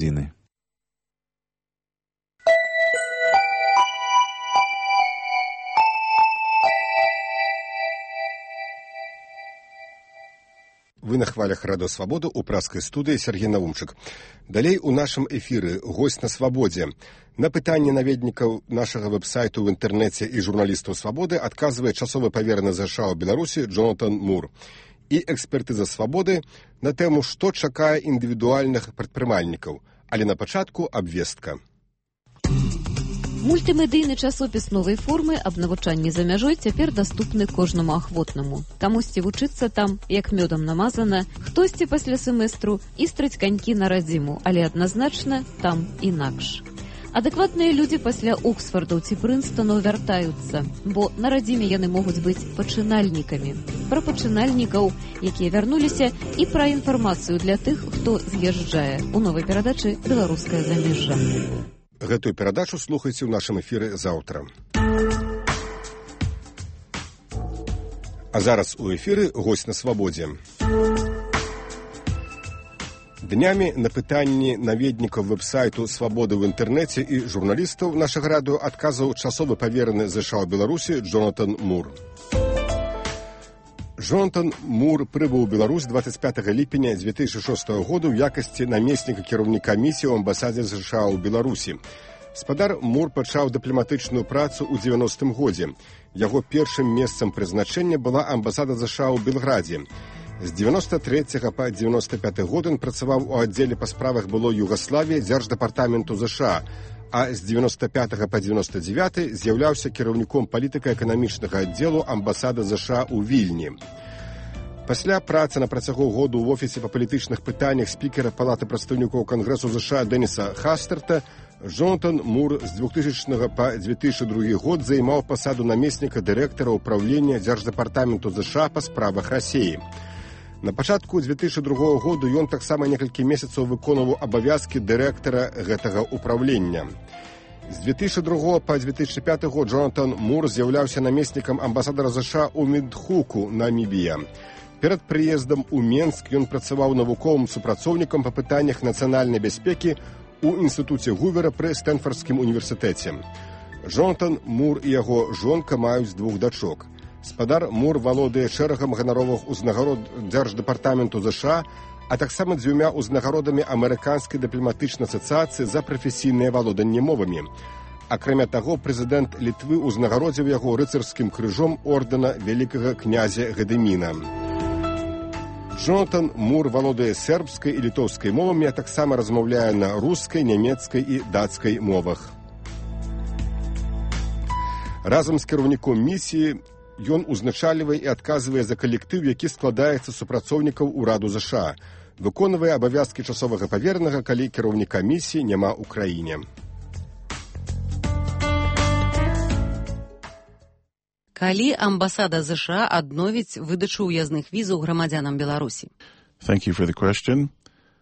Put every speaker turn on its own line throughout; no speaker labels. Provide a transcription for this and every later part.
Зины.
Вы на хвалях Радио Свобода у праскай студыі Сергей Наумчык. Далей у нашым эфіры госць на свабодзе. На пытанне наведнікаў нашага вэб-сайту ў інтэрнэце і журналістаў свабоды адказвае часовы павераны ЗША ў Беларусі Джонатан Мур. І экспертыза свабоды на тэму, што чакае індывідуальных прадпрымальнікаў. Але на пачатку абвестка.
Мультымедыйны часопіс новай формы аб навучанні за мяжой цяпер даступны кожнаму ахвотнаму. Камусьці вучыцца там, як мёдам намазана, хтосьці пасля семестру істрыць канькі на радзіму, але адназначна там інакш. Адэкватныя людзі пасля Оксфордаў ці Прынстонаў вяртаюцца, бо на радзіме яны могуць быць пачынальнікамі. Пра пачынальнікаў, якія вярнуліся, і пра інфармацыю для тых, хто з'язджае у новай перадачы «Беларускае замежжа».
Гэтую перадачу слухайце ў нашым эфіры заўтра. А зараз у эфіры госць на свабодзе. Днямі на пытанні наведнікаў вэб-сайту «Свабоды» ў інтэрнэце і журналістаў нашага радыё адказаў часовы павераны ЗША ў Беларусі Джонатан Мур. Джонатан Мур прыбыў у Беларусь 25 ліпеня 2006 году ў якасці намесніка кіраўніка місіі ў амбасадзе ЗША ў Беларусі. Спадар Мур пачаў дыпламатычную працу ў 90-м годзе. Яго першым месцам прызначэння была амбасада ЗША ў Белградзе. З 93 па 95 год ён працаваў у аддзеле па справах былой Югаславіі дзярждэпартаменту ЗША, а з 95 па 99 з'яўляўся кіраўніком палітыка-эканамічнага аддзелу амбасады ЗША ў Вільні. Пасля працы на працягу году ў офісе па палітычных пытаннях спікера Палаты прадстаўнікоў Кангрэсу ЗША Дэніса Хастерта Джонатан Мур з 2000 па 2002 год займаў пасаду намесніка дырэктара ўпраўлення дзярждэпартаменту ЗША па справах Расіі. На пачатку 2002 году ён таксама некалькі месяцаў выконваў абавязкі дырэктара гэтага ўпраўлення. З 2002 па 2005 год Джонатан Мур з'яўляўся намеснікам амбасадара ЗША ў Міндхуку, Намібія. Перад прыездам у Менск ён працаваў навуковым супрацоўнікам па пытаннях нацыянальнай бяспекі ў інстытуце Гувера пры Стэнфардскім універсітэце. Джонатан Мур і яго жонка маюць 2 дачок. Спадар Мур валодае шэрагам ганаровых узнагарод дзярждэпартаменту ЗША, а таксама 2 узнагародамі Амерыканскай дыпламатычнай асацыяцыі за прафесійнае валоданне мовамі. Акрамя таго, прэзідэнт Літвы ўзнагародзіў яго рыцарскім крыжом ордэна вялікага князя Гадыміна. Джонатан Мур валодае сербскай і літоўскай мовамі, а таксама размаўляе на рускай, нямецкай і дацкай мовах. Разам з кіраўніком місіі ён узначальвае і адказвае за калектыў, які складаецца з супрацоўнікаў ураду ЗША, выконвае абавязкі часовага паверанага, калі кіраўніка місіі няма ў краіне.
Калі амбасада ЗША адновіць выдачу ўязных візаў грамадзянам Беларусі?
Thank you for the question.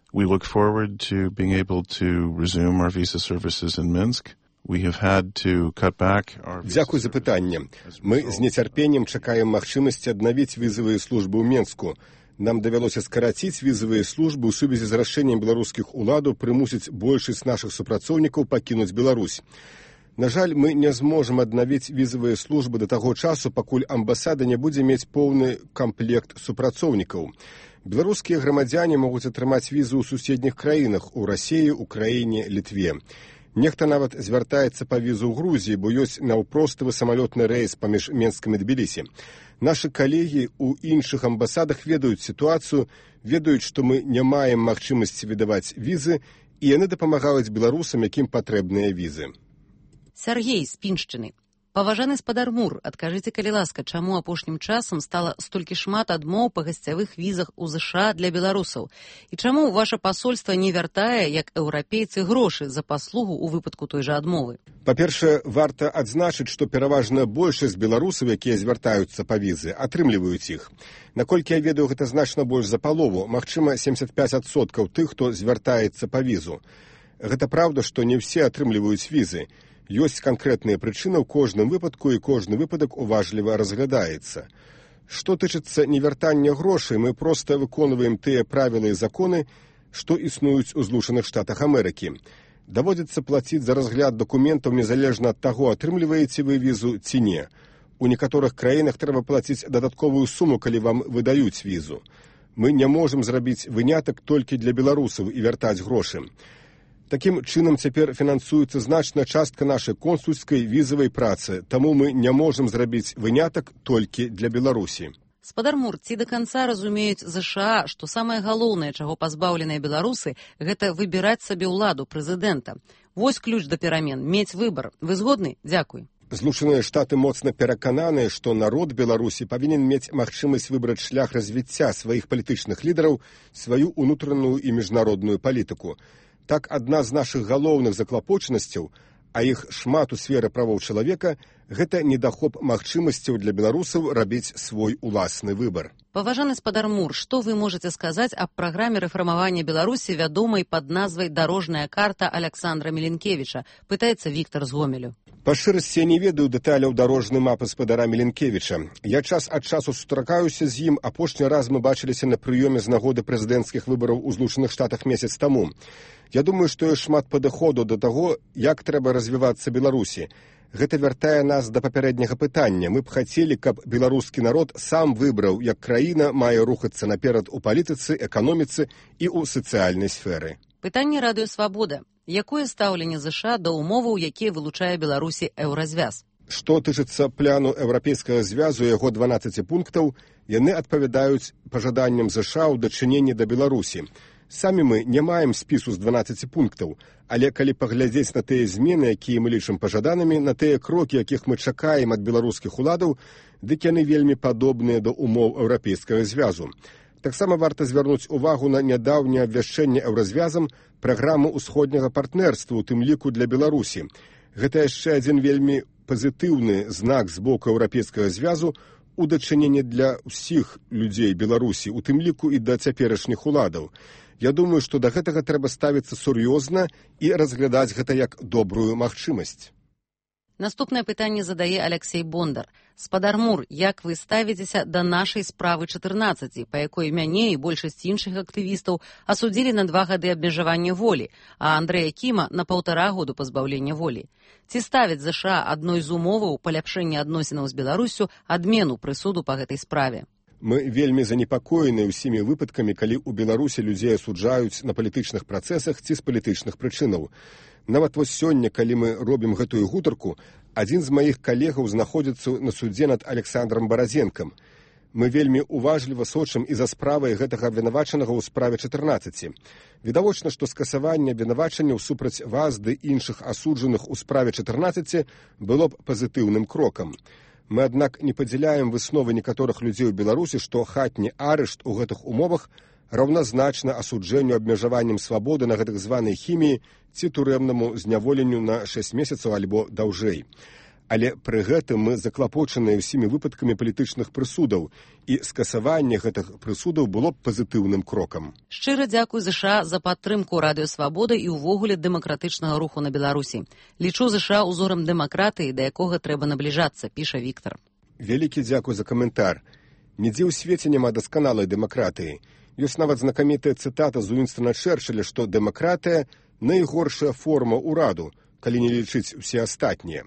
We look forward to being able to resume our visa services in Minsk. We have had to cut back our...
Дзякуй за пытанне. Мы з нецярпеннем чакаем магчымасці аднавіць візавыя службы ў Менску. Нам давялося скараціць візавыя службы ў сувязі з рашэннем беларускіх уладаў прымусіць большасць нашых супрацоўнікаў пакінуць Беларусь. На жаль, мы не зможам аднавіць візавыя службы да таго часу, пакуль амбасада не будзе мець поўны камплект супрацоўнікаў. Беларускія грамадзяне могуць атрымаць візу ў суседніх краінах, у Расіі, Украіне, Літве. Нехта нават звяртаецца па візу ў Грузіі, бо ёсць наўпроставы самалётны рэйс паміж Менскам і Тбілісі. Нашы калегі ў іншых амбасадах ведаюць сітуацыю, ведаюць, што мы не маем магчымасці выдаваць візы, і яны дапамагаюць беларусам, якім патрэбныя візы.
Сергей з Піншчыны. Паважаны спадар Мур, адкажыце, калі ласка, чаму апошнім часам стала столькі шмат адмоў па гасцявых візах у ЗША для беларусаў? І чаму ваша пасольства не вяртае, як еўрапейцы, грошы за паслугу ў выпадку той жа адмовы?
Па-першае, варта адзначыць, што пераважная большасць беларусаў, якія звяртаюцца па візы, атрымліваюць іх. Наколькі я ведаю, гэта значна больш за палову, магчыма, 75% тых, хто звяртаецца па візу. Гэта праўда, што не ўсе атрымліваюць візы. Ёсць канкрэтныя прычыны ў кожным выпадку, і кожны выпадак уважліва разглядаецца. Што тычыцца невяртання грошай, мы проста выконваем тыя правілы і законы, што існуюць у Злучаных Штатах Амерыкі. Даводзіцца плаціць за разгляд дакументаў незалежна ад таго, атрымліваеце вы візу ці не. У некаторых краінах трэба плаціць дадатковую суму, калі вам выдаюць візу. Мы не можам зрабіць вынятак толькі для беларусаў і вяртаць грошы. Такім чынам цяпер фінансуецца значная частка нашай консульскай візавай працы, таму мы не можам зрабіць вынятак толькі для Беларусі.
Спадар Мур, ці да канца разумеюць ЗША, што самае галоўнае, чаго пазбаўленыя беларусы, гэта выбіраць сабе ўладу прэзідэнта. Вось ключ да перамен, мець выбар. Вы згодны? Дзякуй.
Злучаныя Штаты моцна перакананыя, што народ Беларусі павінен мець магчымасць выбраць шлях развіцця сваіх палітычных лідараў, сваю ўнутраную і міжнародную палітыку. Так, адна з нашых галоўных заклапочанасцяў, а іх шмат у сферы правоў чалавека, гэта недахоп магчымасцяў для беларусаў рабіць свой уласны выбар.
Паважаны спадар Мур, што вы можаце сказаць аб праграме рэфармавання Беларусі, вядомай пад назвай «Дарожная карта» Аляксандра Міленкевіча, пытаецца Віктар з Гомелю.
Па шчырасці, я не ведаю дэталяў дарожнай мапы спадара Міленкевіча. Я час ад часу сустракаюся з ім, апошні раз мы бачыліся на прыёме з нагоды прэзідэнцкіх выбараў у Злучаных Штатах месяц таму. Я думаю, што ёсць шмат падыходу да таго, як трэба развівацца Беларусі. Гэта вяртае нас да папярэдняга пытання. Мы б хацелі, каб беларускі народ сам выбраў, як краіна мае рухацца наперад у палітыцы, эканоміцы і ў сацыяльнай сферы.
Пытанне Радыё Свабода. Якое стаўленне ЗША да умоваў, якія вылучае Беларусі еўразвяз?
Што тычыцца пляну Еўрапейскага звязу і яго 12 пунктаў, яны адпавядаюць пажаданням ЗША ў дачыненні да Беларусі. Самі мы не маем спісу з 12 пунктаў, але калі паглядзець на тыя змены, якія мы лічым пажаданымі, на тыя крокі, якіх мы чакаем ад беларускіх уладаў, дык яны вельмі падобныя да умоў Еўрапейскага звязу. Таксама варта звярнуць увагу на нядаўняе абвяшчэнне еўразвязам праграмы ўсходняга партнерства, у тым ліку для Беларусі. Гэта яшчэ адзін вельмі пазітыўны знак з боку Еўрапейскага звязу у дачыненні для ўсіх людзей Беларусі, у тым ліку і да цяперашніх уладаў. Я думаю, што да гэтага трэба ставіцца сур'ёзна і разглядаць гэта як добрую магчымасць.
Наступнае пытанне задае Аляксей Бондар. Спадар Мур, як вы ставіцеся да нашай справы 14, па якой мяне і большасць іншых актывістаў асудзілі на 2 гады абмежавання волі, а Андрэя Кіма на 1,5 году пазбаўлення волі? Ці ставіць ЗША адной з умоваў паляпшэння адносінаў з Беларусю адмену прысуду па гэтай справе?
Мы вельмі занепакоены ўсімі выпадкамі, калі ў Беларусі людзей асуджаюць на палітычных працэсах ці з палітычных прычынаў. Нават вось сёння, калі мы робім гэтую гутарку, адзін з маіх калегаў знаходзіцца на судзе над Александром Баразенкам. Мы вельмі уважліва сочым і за справай гэтага абвінавачанага ў справе 14. Відавочна, што скасаванне абвінавачанняў супраць вас ды іншых асуджаных у справе 14 было б пазітыўным крокам. Мы, аднак, не падзяляем высновы некаторых людзей у Беларусі, што хатні арышт у гэтых умовах раўназначна асуджэнню абмежаваннем свабоды на гэтых званай хіміі ці турэмнаму зняволенню на 6 месяцаў альбо даўжэй. Але пры гэтым мы заклапочаныя ўсімі выпадкамі палітычных прысудаў, і скасаванне гэтых прысудаў было б пазітыўным крокам.
Шчыра дзякуй ЗША за падтрымку Радыё Свабода і ўвогуле дэмакратычнага руху на Беларусі. Лічу ЗША узорам дэмакратыі, да якога трэба набліжацца, піша Віктар.
Вялікі дзякуй за каментар. Нідзе ў свеце няма дасканалай дэмакратыі. Ёсць нават знакамітая цытата з Уінстона Чэрчылля, што дэмакратыя – найгоршая форма ўраду, калі не лічыць усе астатнія.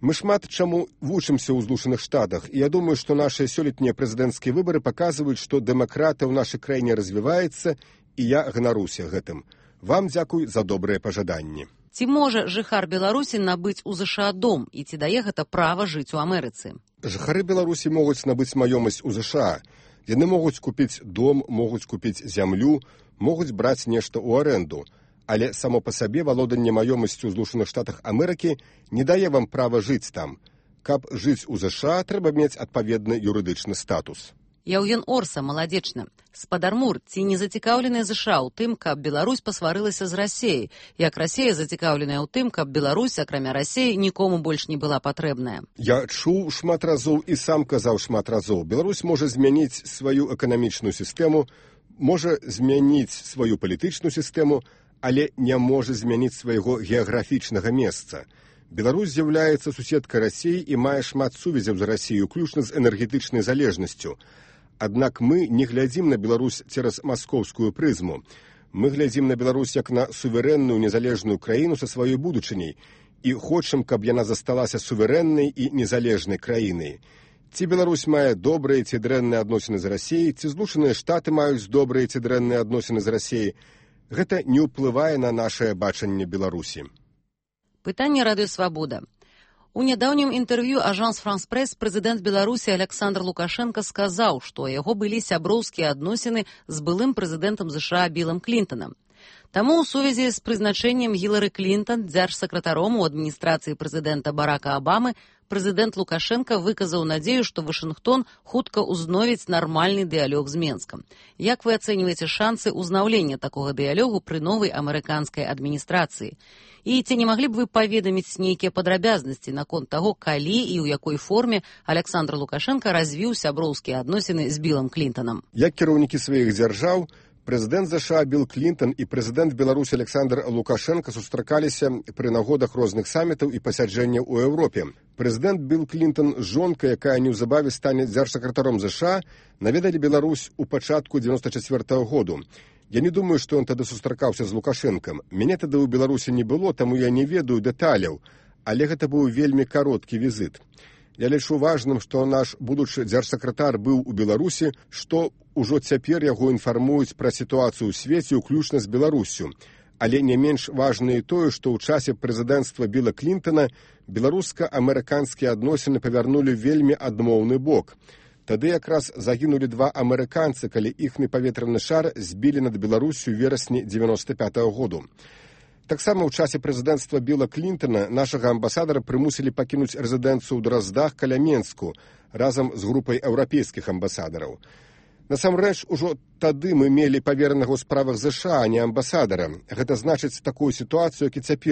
Мы шмат чаму вучымся ў Злучаных Штатах, і я думаю, што нашыя сёлетнія прэзідэнцкія выбары паказваюць, што дэмакратыя ў нашай краіне развіваецца, і я ганаруся гэтым. Вам дзякуй за добрыя пажаданні.
Ці можа жыхар Беларусі набыць у ЗША дом, і ці дае гэта права жыць у Амерыцы?
Жыхары Беларусі могуць набыць маёмасць у ЗША. Яны могуць купіць дом, могуць купіць зямлю, могуць браць нешта ў арэнду. Але само па сабе валоданне маёмасцю ў Злучаных Штатах Амерыкі не дае вам права жыць там. Каб жыць у ЗША, трэба мець адпаведны юрыдычны статус.
Яўген Орса, маладзечна. Спадар Мур, ці не зацікаўленыя ЗША ў тым, каб Беларусь пасварылася з Расеяй, як Расея зацікаўленая ў тым, каб Беларусь, акрамя Расеі, нікому больш не была патрэбная?
Я чуў шмат разоў і сам казаў шмат разоў. Беларусь можа змяніць сваю эканамічную сістэму, можа змяніць сваю палітычную сістэму, але не можа змяніць свайго геаграфічнага месца. Беларусь з'яўляецца суседкай Расіі і мае шмат сувязяў з Расіяй, уключна з энергетычнай залежнасцю. Аднак мы не глядзім на Беларусь цераз маскоўскую прызму. Мы глядзім на Беларусь як на суверэнную незалежную краіну са сваёй будучыняй і хочам, каб яна засталася суверэннай і незалежнай краінай. Ці Беларусь мае добрыя ці дрэнныя адносіны з Расіяй, ці Злучаныя Штаты маюць добрыя ці дрэнныя адносіны з Расіяй, гэта не ўплывае на нашае бачанне Беларусі.
Пытанне Радыё Свабода. У нядаўнім інтэрв'ю Ажанс Франс Прэс прэзідэнт Беларусі Александр Лукашенко сказаў, што ў яго былі сяброўскія адносіны з былым прэзідэнтам США Білам Клінтанам. Таму ў сувязі з прызначэннем Гілары Клінтан дзяржсакратаром у адміністрацыі прэзідэнта Барака Абамы прэзідэнт Лукашенко выказаў надзею, што Вашынгтон хутка ўзновіць нармальны дыялог з Менскам. Як вы ацэньваеце шансы ўзнаўлення такога дыялогу пры новай амерыканскай адміністрацыі? І ці не маглі б вы паведаміць нейкія падрабязнасці наконт таго, калі і ў якой форме Александр Лукашенко развіў сяброўскія адносіны з Білам Клінтанам?
Як кіраўнікі сваіх дзяржаў, прэзідэнт США Біл Клінтан і прэзідэнт Беларусі Александр Лукашенко сустракаліся пры нагодах розных самітаў і пасяджэнняў у Еўропе. Прэзідэнт Біл Клінтан з жонкай, якая неўзабаве стане дзяржсакратаром США, наведалі Беларусь у пачатку 94-го году. Я не думаю, што ён тады сустракаўся з Лукашэнкам. Мяне тады ў Беларусі не было, таму я не ведаю дэталяў, але гэта быў вельмі кароткі візіт. Я лічу важным, што наш будучы дзяржсакратар быў у Беларусі, што ўжо цяпер яго інфармуюць пра сітуацыю ў свеце, уключна з Беларуссю. Але не менш важна і тое, што ў часе прэзідэнцтва Біла Клінтана беларуска-амерыканскія адносіны павярнулі вельмі адмоўны бок. Тады якраз загінулі 2 амерыканцы, калі іхны паветраны шар збілі над Беларуссю ў верасні 95-го году. Таксама ў часе прэзідэнцтва Біла Клінтана нашага амбасадара прымусілі пакінуць рэзідэнцыю ў Драздах каля Менску разам з групай еўрапейскіх амбасадараў. Насамрэч, ужо тады мы мелі паверанага ў справах ЗША, а не амбасадара. Гэта значыць такую сітуацыю, як і цяпер.